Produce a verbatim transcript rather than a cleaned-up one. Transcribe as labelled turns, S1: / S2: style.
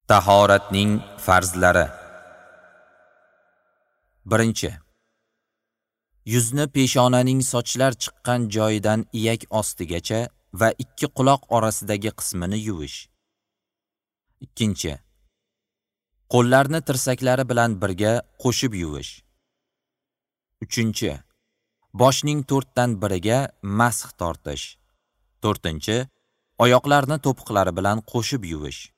S1: Tahoratning farzlari. Birinchi. Yuzni peshonaning sochlar chiqqan joyidan iyak ostigacha va ikki quloq orasidagi qismini yuvish. Ikkinchi. Qo'llarni tirsaklari bilan birga qo'shib yuvish. Uchinchi. Boshning to'rtdan biriga masx tortish. To'rtinchi. Oyoqlarni to'piqlari bilan qo'shib yuvish.